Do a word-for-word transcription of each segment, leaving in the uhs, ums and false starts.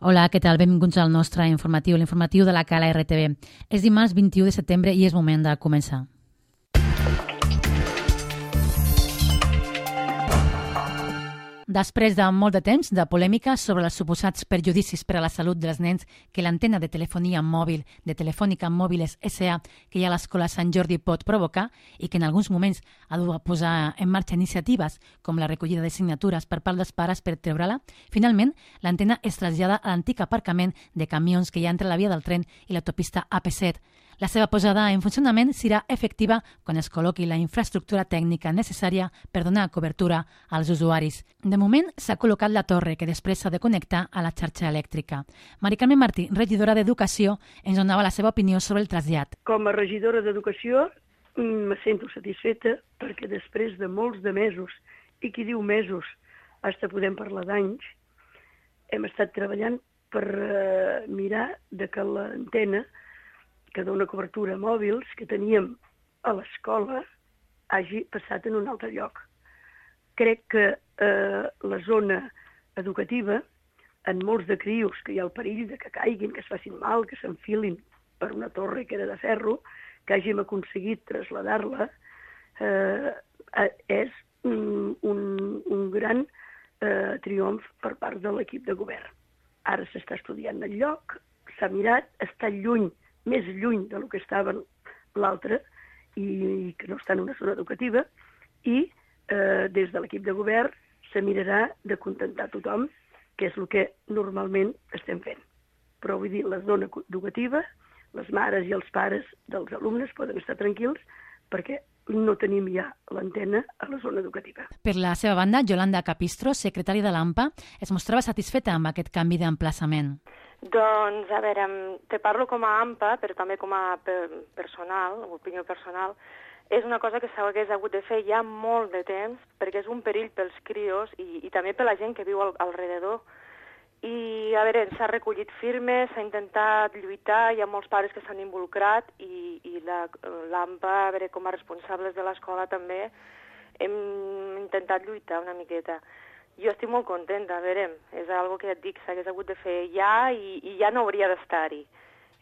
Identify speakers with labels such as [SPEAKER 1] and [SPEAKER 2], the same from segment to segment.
[SPEAKER 1] Hola, què tal? Benvinguts al nostre informatiu, l'informatiu de la Cala R T V. És dimarts vint-i-u de setembre i és moment de començar. Després de molt de temps de polèmica sobre els suposats perjudicis per a la salut dels nens que l'antena de telefonia mòbil de Telefònica Mòbiles S A que hi ha a l'escola Sant Jordi pot provocar i que en alguns moments ha dut a posar en marxa iniciatives com la recollida de signatures per part dels pares per treure-la, finalment l'antena es trasllada a l'antic aparcament de camions que hi ha entre la via del tren i l'autopista A P set. La seva posada en funcionament serà efectiva quan es col·loqui la infraestructura tècnica necessària per donar cobertura als usuaris. De moment s'ha col·locat la torre que després s'ha de connectar a la xarxa elèctrica. Mari Carmen Martí, regidora d'Educació, ens donava la seva opinió sobre el trasllat.
[SPEAKER 2] Com a regidora d'Educació me sento satisfeta perquè després de molts de mesos, i qui diu mesos, fins podem parlar d'anys, hem estat treballant per uh, mirar de que l'antena que dona cobertura a mòbils que teníem a l'escola hagi passat en un altre lloc. Crec que eh, la zona educativa, en molts de crios que hi ha el perill de que caiguin, que es facin mal, que s'enfilin per una torre que era de ferro, que hàgim aconseguit traslladar-la, eh, és un, un, un gran eh, triomf per part de l'equip de govern. Ara s'està estudiant el lloc, s'ha mirat, està lluny, més lluny del que estava l'altre i que no està en una zona educativa i eh, des de l'equip de govern se mirarà de contentar tothom, que és el que normalment estem fent. Però vull dir, la zona educativa, les mares i els pares dels alumnes poden estar tranquils perquè no tenim ja l'antena a la zona educativa.
[SPEAKER 1] Per la seva banda, Yolanda Capistro, secretària de l'AMPA, es mostrava satisfeta amb aquest canvi d'emplaçament.
[SPEAKER 3] Doncs, a veure, te parlo com a AMPA, però també com a personal, opinió personal. És una cosa que s'hagués hagut de fer ja molt de temps, perquè és un perill pels crios i, i també per la gent que viu al, al redador. I, a veure, s'ha recollit firmes, s'ha intentat lluitar, hi ha molts pares que s'han involucrat i, i l'AMPA, a veure, com a responsables de l'escola també, hem intentat lluitar una miqueta. Jo estic molt contenta, a veure, és algo que ja et dic, s'hagués hagut de fer ja i, i ja no hauria d'estar-hi.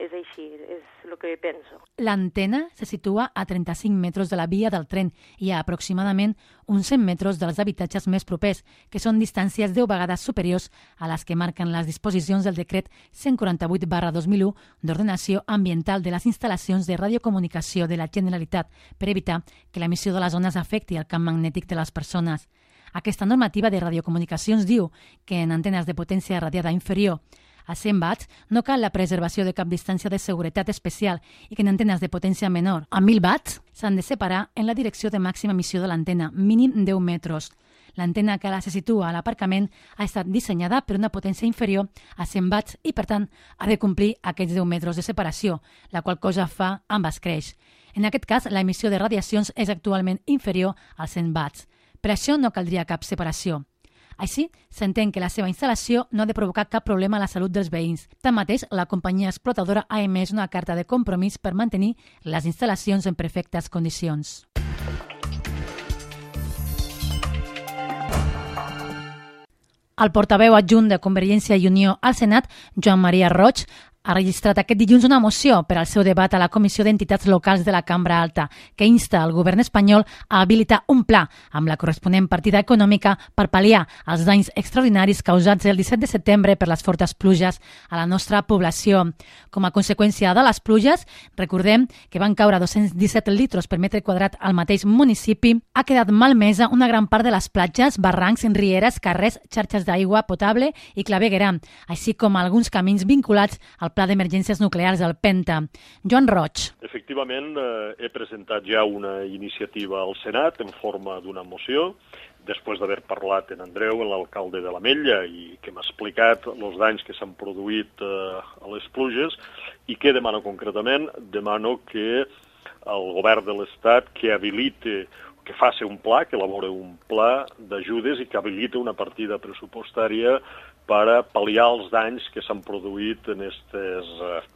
[SPEAKER 3] És així, és el que penso.
[SPEAKER 1] L'antena se situa a trenta-cinc metres de la via del tren i a aproximadament uns cent metres dels habitatges més propers, que són distàncies deu vegades superiors a les que marquen les disposicions del decret cent quaranta-vuit barra dos mil u d'ordenació ambiental de les instal·lacions de radiocomunicació de la Generalitat per evitar que l'emissió de les ones afecti el camp magnètic de les persones. Aquesta normativa de radiocomunicacions diu que en antenes de potència radiada inferior a cent watts no cal la preservació de cap distància de seguretat especial i que en antenes de potència menor a mil watts s'han de separar en la direcció de màxima emissió de l'antena, mínim deu metres. L'antena que ara se situa a l'aparcament ha estat dissenyada per una potència inferior a cent watts i, per tant, ha de complir aquests deu metres de separació, la qual cosa fa amb escreix. En aquest cas, l'emissió de radiacions és actualment inferior als cent watts. Per això no caldria cap separació. Així, s'entén que la seva instal·lació no ha de provocar cap problema a la salut dels veïns. Tanmateix, la companyia explotadora ha emès una carta de compromís per mantenir les instal·lacions en perfectes condicions. El portaveu adjunt de Convergència i Unió al Senat, Joan Maria Roig, ha registrat aquest dilluns una moció per al seu debat a la Comissió d'Entitats Locals de la Cambra Alta, que insta el govern espanyol a habilitar un pla amb la corresponent partida econòmica per pal·liar els danys extraordinaris causats el disset de setembre per les fortes pluges a la nostra població. Com a conseqüència de les pluges, recordem que van caure dos-cents disset litres per metre quadrat al mateix municipi, ha quedat malmesa una gran part de les platges, barrancs, rieres, carrers, xarxes d'aigua potable i claveguera, així com alguns camins vinculats al Pla d'Emergències Nuclears, el Penta. Joan Roig.
[SPEAKER 4] Efectivament, eh, he presentat ja una iniciativa al Senat en forma d'una moció, després d'haver parlat en Andreu, l'alcalde de l'Ametlla, i que m'ha explicat els danys que s'han produït eh, a les pluges, i què demano concretament? Demano que el govern de l'Estat que habilite, que faci un pla, que elabore un pla d'ajudes i que habilite una partida pressupostària per a pal·liar els danys que s'han produït en aquestes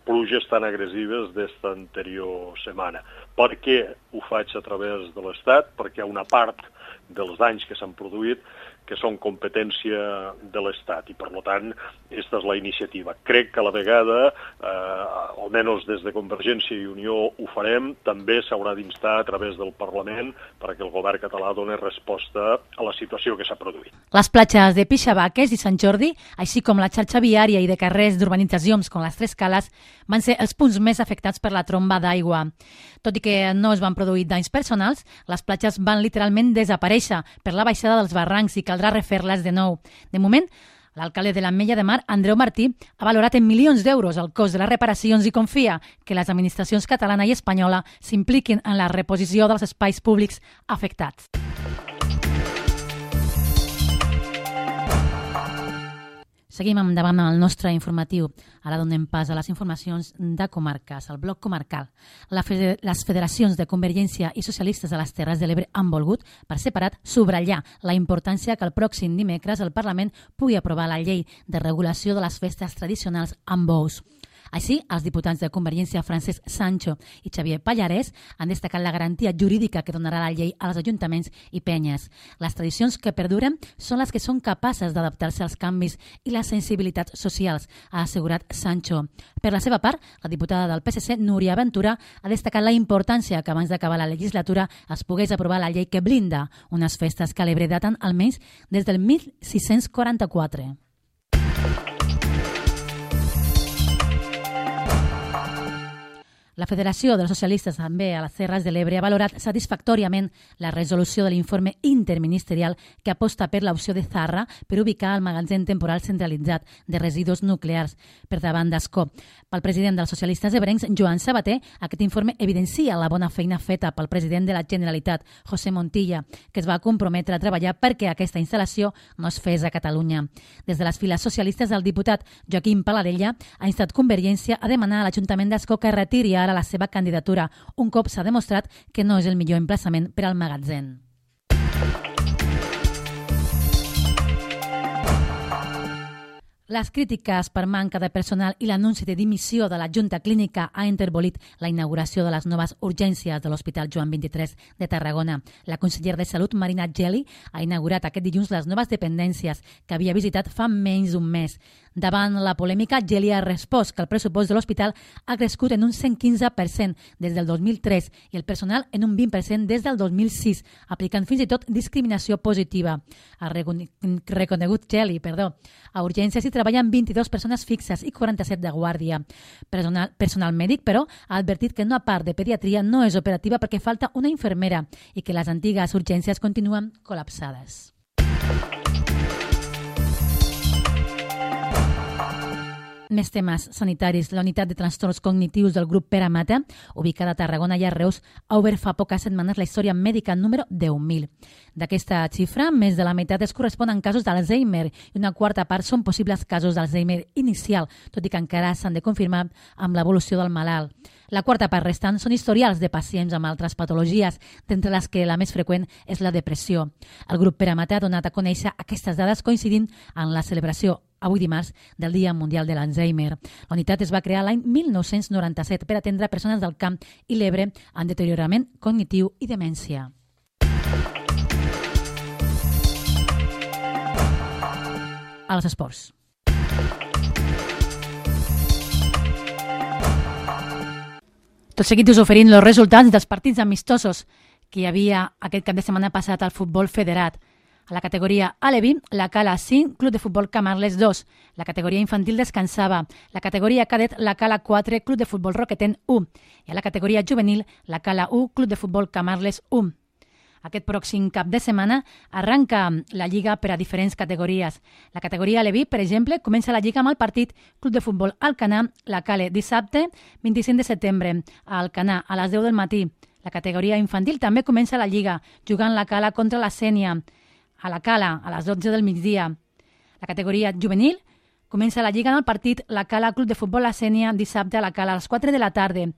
[SPEAKER 4] pluges tan agressives d'esta anterior setmana. Per què ho faig a través de l'Estat? Perquè una part dels danys que s'han produït que són competència de l'Estat, i per tant, aquesta és la iniciativa. Crec que a la vegada, eh, almenys des de Convergència i Unió ho farem, també s'haurà d'instar a través del Parlament perquè el govern català doni resposta a la situació que s'ha produït.
[SPEAKER 1] Les platges de Pixabaques i Sant Jordi, així com la xarxa viària i de carrers d'urbanitzacions com les Tres Cales, van ser els punts més afectats per la tromba d'aigua. Tot i que no es van produir danys personals, les platges van literalment desaparèixer per la baixada dels barrancs i caldrà refer-les de nou. De moment, l'alcalde de l'Ametlla de Mar, Andreu Martí, ha valorat en milions d'euros el cost de les reparacions i confia que les administracions catalana i espanyola s'impliquin en la reposició dels espais públics afectats. Seguim endavant amb el nostre informatiu. Ara donem pas a les informacions de comarques, al bloc comarcal. La fede- les federacions de Convergència i Socialistes de les Terres de l'Ebre han volgut, per separat, subratllar la importància que el pròxim dimecres el Parlament pugui aprovar la llei de regulació de les festes tradicionals amb bous. Així, els diputats de Convergència Francesc Sancho i Xavier Pallarès han destacat la garantia jurídica que donarà la llei als ajuntaments i penyes. Les tradicions que perduren són les que són capaces d'adaptar-se als canvis i les sensibilitats socials, ha assegurat Sancho. Per la seva part, la diputada del P S C, Núria Ventura, ha destacat la importància que abans d'acabar la legislatura es pogués aprovar la llei que blinda unes festes que a l'Ebre daten almenys des del mil sis-cents quaranta-quatre. La Federació dels Socialistes també a les Terres de l'Ebre ha valorat satisfactòriament la resolució de l'informe interministerial que aposta per l'opció de Zarra per ubicar el magatzem temporal centralitzat de residus nuclears per davant d'Ascó. Pel president dels socialistes ebrencs, Joan Sabater, aquest informe evidencia la bona feina feta pel president de la Generalitat, José Montilla, que es va comprometre a treballar perquè aquesta instal·lació no es fes a Catalunya. Des de les files socialistes, el diputat Joaquim Paladella ha instat Convergència a demanar a l'Ajuntament d'Ascó que retiri a la seva candidatura, un cop s'ha demostrat que no és el millor emplaçament per al magatzem. Les crítiques per manca de personal i l'anunci de dimissió de la Junta Clínica ha enterbolit la inauguració de les noves urgències de l'Hospital Joan vint-i-tres de Tarragona. La consellera de Salut, Marina Geli, ha inaugurat aquest dilluns les noves dependències que havia visitat fa menys d'un mes. Davant la polèmica, Geli ha respost que el pressupost de l'hospital ha crescut en un cent quinze per cent des del dos mil tres i el personal en un vint per cent des del dos mil sis, aplicant fins i tot discriminació positiva. Ha reconegut Geli, perdó. A urgències hi treballen vint-i-dues persones fixes i quaranta-set de guàrdia. Personal, personal mèdic, però, ha advertit que una part de pediatria no és operativa perquè falta una infermera i que les antigues urgències continuen col·lapsades. Més temes sanitaris. La unitat de trastorns cognitius del grup Pere Mata, ubicada a Tarragona i a Reus, ha obert fa poques setmanes la història mèdica número deu mil. D'aquesta xifra, més de la meitat es corresponen casos d'Alzheimer i una quarta part són possibles casos d'Alzheimer inicial, tot i que encara s'han de confirmar amb l'evolució del malalt. La quarta part restant són historials de pacients amb altres patologies, d'entre les que la més freqüent és la depressió. El grup Pere Mata ha donat a conèixer aquestes dades coincidint en la celebració avui dimarts del Dia Mundial de l'Alzheimer. La unitat es va crear l'any mil nou-cents noranta-set per atendre persones del camp i l'Ebre amb deteriorament cognitiu i demència. Als esports. Tot seguit us oferint els resultats dels partits amistosos que hi havia aquest cap de setmana passat al futbol federat. A la categoria Alevi, la Cala cinc, Club de Futbol Camarles dos. La categoria infantil descansava. La categoria cadet, la Cala quatre, Club de Futbol Roqueten u. I a la categoria juvenil, la Cala u, Club de Futbol Camarles u. Aquest pròxim cap de setmana arranca la Lliga per a diferents categories. La categoria Alevi, per exemple, comença la Lliga amb el partit Club de Futbol Alcanar, la Cale, dissabte vint-i-cinc de setembre, a Alcanar, a les deu del matí. La categoria infantil també comença la Lliga, jugant la Cala contra la Sénia, a la Cala, a les dotze del migdia. La categoria juvenil comença la Lliga en el partit la Cala Club de Futbol La Sénia dissabte a la Cala a les quatre de la tarda.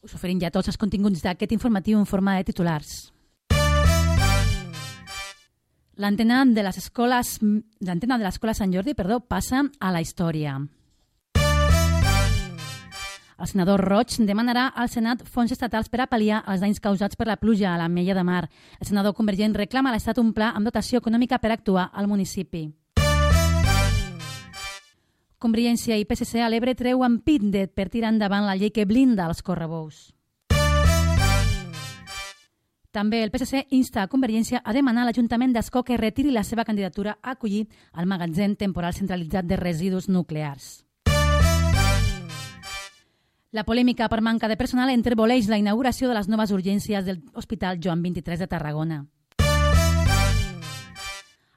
[SPEAKER 1] Us oferim ja tots els continguts d'aquest informatiu en forma de titulars. L'antena de les escoles, l'antena de l'escola Sant Jordi, perdó, passa a la història. El senador Roig demanarà al Senat fons estatals per a pal·liar els danys causats per la pluja a l'Ametlla de Mar. El senador convergent reclama a l'Estat un pla amb dotació econòmica per actuar al municipi. Convergència i P S C a l'Ebre treuen pit per tirar endavant la llei que blinda els correbous. També el P S C insta a Convergència a demanar a l'Ajuntament d'Ascó que retiri la seva candidatura a acollir el magatzem temporal centralitzat de residus nuclears. La polèmica per manca de personal entreboleix la inauguració de les noves urgències de l'Hospital Joan vint-i-tres de Tarragona.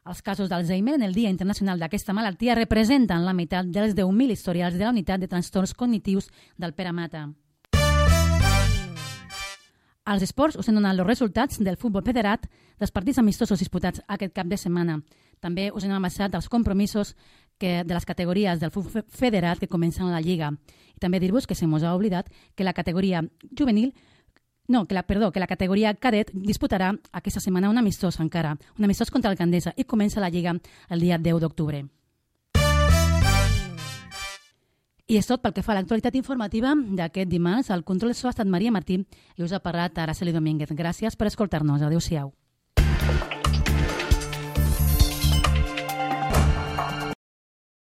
[SPEAKER 1] Els casos d'Alzheimer en el Dia Internacional d'aquesta malaltia representen la meitat dels deu mil historials de la unitat de trastorns cognitius del Pere Mata. Als esports us hem donat els resultats del futbol federat dels partits amistosos disputats aquest cap de setmana. També us hem amassat els compromisos que, de les categories del futbol federat que comencen a la Lliga. I també dir-vos que se mos ha oblidat que la categoria juvenil, no, que la, perdó, que la categoria cadet disputarà aquesta setmana un amistós encara, un amistós contra l'Alcaldessa i comença la Lliga el dia deu d'octubre. I és tot pel que fa a l'actualitat informativa d'aquest dimarts. El control de so ha estat Maria Martí i us ha parlat Araceli Domínguez. Gràcies per escoltar-nos. Adéu-siau.